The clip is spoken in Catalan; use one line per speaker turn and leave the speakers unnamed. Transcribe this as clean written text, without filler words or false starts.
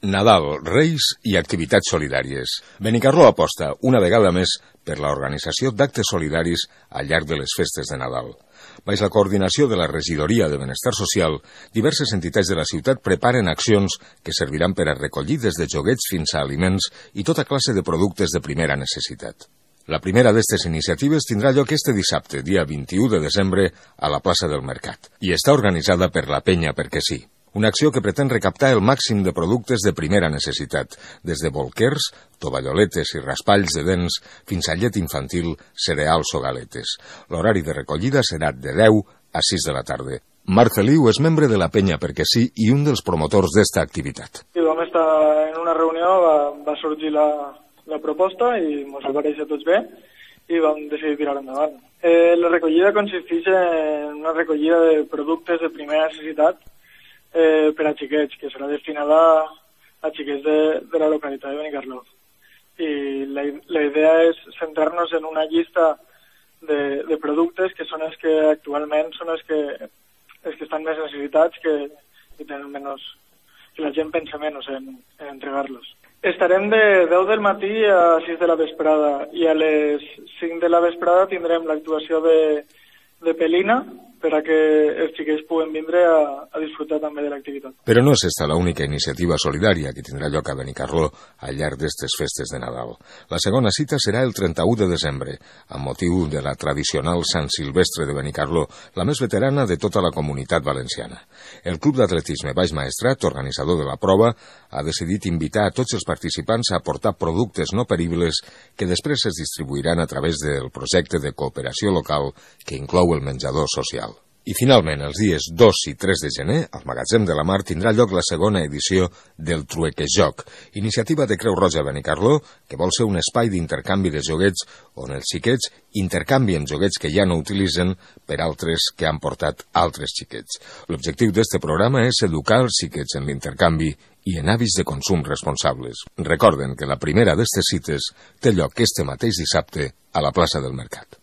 Nadal, Reis i activitats solidàries. Benicarló aposta, una vegada més, per l'organització d'actes solidaris al llarg de les festes de Nadal. Baix la coordinació de la Regidoria de Benestar Social, diverses entitats de la ciutat preparen accions que serviran per a recollir des de joguets fins a aliments i tota classe de productes de primera necessitat. La primera d'aquestes iniciatives tindrà lloc este dissabte, dia 21 de desembre, a la plaça del Mercat, i està organitzada per la Penya Perquè Sí. Una acció que pretén recaptar el màxim de productes de primera necessitat, des de bolquers, tovalloletes i raspalls de dents, fins a llet infantil, cereals o galetes. L'horari de recollida serà de 10 a 6 de la tarda. Marc Feliu és membre de la Penya Perquè Sí i un dels promotors d'esta activitat.
I vam estar en una reunió, va sorgir la proposta i ens va parèixer tots bé i vam decidir tirar endavant. La recollida consisteix en una recollida de productes de primera necessitat per a xiquets, que serà destinada a xiquets de la localitat de Benicarló. I la idea és centrar-nos en una llista de productes que són els que actualment són els que estan més necessitats, que tenen menys, que la gent pensa menys en entregar-los. Estarem de 10 del matí a 6 de la vesprada i a les 5 de la vesprada tindrem l'actuació de Pelina, per a que els xiquets puguen vindre a disfrutar també de l'activitat.
Però no és esta l'única iniciativa solidària que tindrà lloc a Benicarló al llarg d'aquestes festes de Nadal. La segona cita serà el 31 de desembre, amb motiu de la tradicional Sant Silvestre de Benicarló, la més veterana de tota la comunitat valenciana. El Club d'Atletisme Baix Maestrat, organitzador de la prova, ha decidit invitar a tots els participants a aportar productes no peribles que després es distribuiran a través del projecte de cooperació local que inclou el menjador social. I finalment, els dies 2 i 3 de gener, al Magatzem de la Mar tindrà lloc la segona edició del Truequejoc, iniciativa de Creu Roja Benicarló, que vol ser un espai d'intercanvi de joguets on els xiquets intercanvien joguets que ja no utilitzen per altres que han portat altres xiquets. L'objectiu d'este programa és educar els xiquets en l'intercanvi i en hàbits de consum responsables. Recorden que la primera d'estes cites té lloc este mateix dissabte a la plaça del Mercat.